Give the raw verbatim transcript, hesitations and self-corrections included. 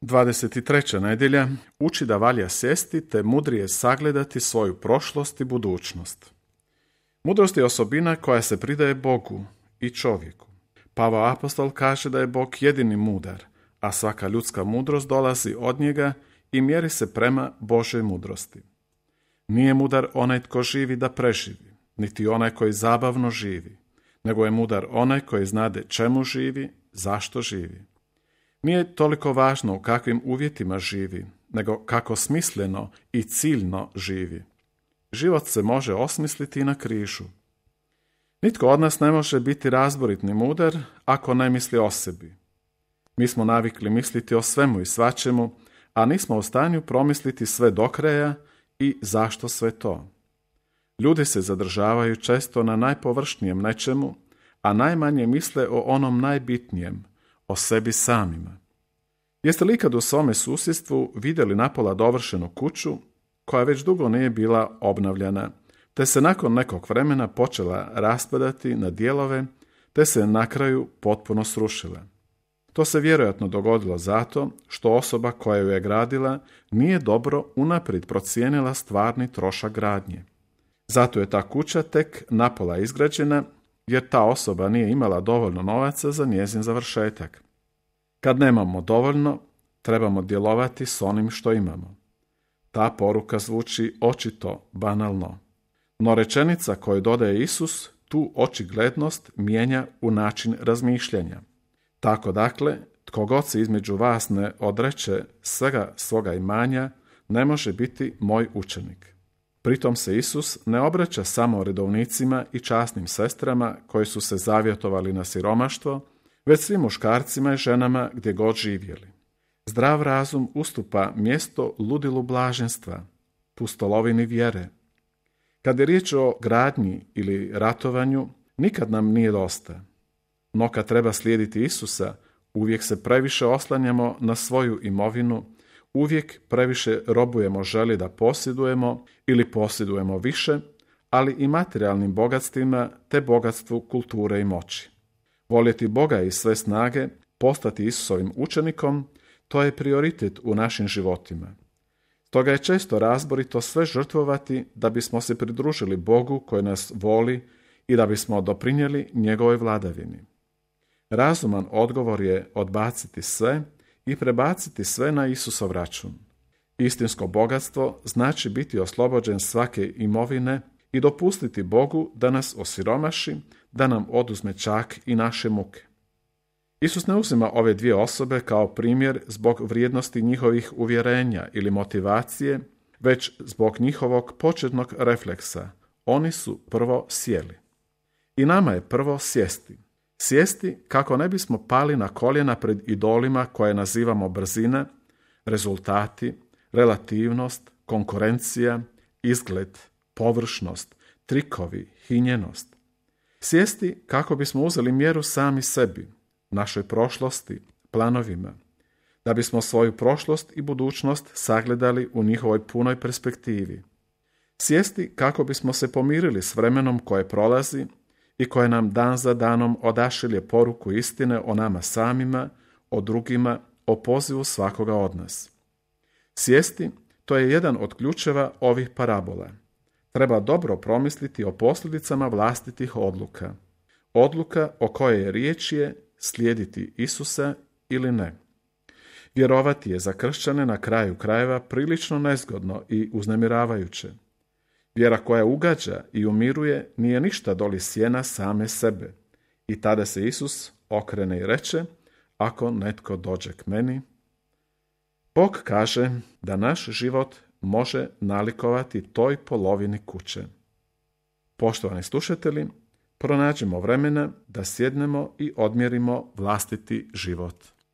dvadeset treća nedjelja uči da valja sjesti te mudrije sagledati svoju prošlost i budućnost. Mudrost je osobina koja se pridaje Bogu i čovjeku. Pavao apostol kaže da je Bog jedini mudar, a svaka ljudska mudrost dolazi od njega i mjeri se prema Božoj mudrosti. Nije mudar onaj tko živi da preživi, niti onaj koji zabavno živi, nego je mudar onaj koji znade čemu živi, zašto živi. Nije toliko važno u kakvim uvjetima živi, nego kako smisleno i ciljno živi. Život se može osmisliti i na križu. Nitko od nas ne može biti razborit ni mudar ako ne misli o sebi. Mi smo navikli misliti o svemu i svačemu, a nismo u stanju promisliti sve do kraja i zašto sve to. Ljudi se zadržavaju često na najpovršnijem nečemu, a najmanje misle o onom najbitnijem, o sebi samima. Jeste li ikad u svome susjedstvu vidjeli napola dovršenu kuću koja već dugo nije bila obnavljana, te se nakon nekog vremena počela raspadati na dijelove, te se na kraju potpuno srušila? To se vjerojatno dogodilo zato što osoba koja ju je gradila nije dobro unaprijed procijenila stvarni trošak gradnje. Zato je ta kuća tek napola izgrađena, jer ta osoba nije imala dovoljno novaca za njezin završetak. Kad nemamo dovoljno, trebamo djelovati s onim što imamo. Ta poruka zvuči očito banalno, no rečenica koju dodaje Isus tu očiglednost mijenja u način razmišljanja. Tako dakle, tko god se između vas ne odreče svega svoga imanja, ne može biti moj učenik. Pritom se Isus ne obraća samo redovnicima i časnim sestrama koji su se zavjetovali na siromaštvo, već svim muškarcima i ženama gdje god živjeli. Zdrav razum ustupa mjesto ludilu blaženstva, pustolovini vjere. Kad je riječ o gradnji ili ratovanju, nikad nam nije dosta. No kad treba slijediti Isusa, uvijek se previše oslanjamo na svoju imovinu, uvijek previše robujemo želi da posjedujemo ili posjedujemo više, ali i materijalnim bogatstvima te bogatstvu kulture i moći. Voljeti Boga i sve snage, postati Isusovim učenikom, to je prioritet u našim životima. Stoga je često razborito sve žrtvovati da bismo se pridružili Bogu koji nas voli i da bismo doprinijeli njegovoj vladavini. Razuman odgovor je odbaciti sve i prebaciti sve na Isusov račun. Istinsko bogatstvo znači biti oslobođen svake imovine i dopustiti Bogu da nas osiromaši, da nam oduzme čak i naše muke. Isus ne uzima ove dvije osobe kao primjer zbog vrijednosti njihovih uvjerenja ili motivacije, već zbog njihovog početnog refleksa. Oni su prvo sjeli. I nama je prvo sjesti. Sjesti kako ne bismo pali na koljena pred idolima koje nazivamo brzina, rezultati, relativnost, konkurencija, izgled, površnost, trikovi, hinjenost. Sjesti kako bismo uzeli mjeru sami sebi, našoj prošlosti, planovima, da bismo svoju prošlost i budućnost sagledali u njihovoj punoj perspektivi. Sjesti kako bismo se pomirili s vremenom koje prolazi i koje nam dan za danom odašilje poruku istine o nama samima, o drugima, o pozivu svakoga od nas. Sjesti, to je jedan od ključeva ovih parabola. Treba dobro promisliti o posljedicama vlastitih odluka. Odluka o kojoj je riječ je slijediti Isusa ili ne. Vjerovati je za kršćane na kraju krajeva prilično nezgodno i uznemiravajuće. Vjera koja ugađa i umiruje nije ništa doli sjena same sebe. I tada se Isus okrene i reče, ako netko dođe k meni. Bog kaže da naš život može nalikovati toj polovini kuće. Poštovani slušatelji, pronađimo vremena da sjednemo i odmjerimo vlastiti život.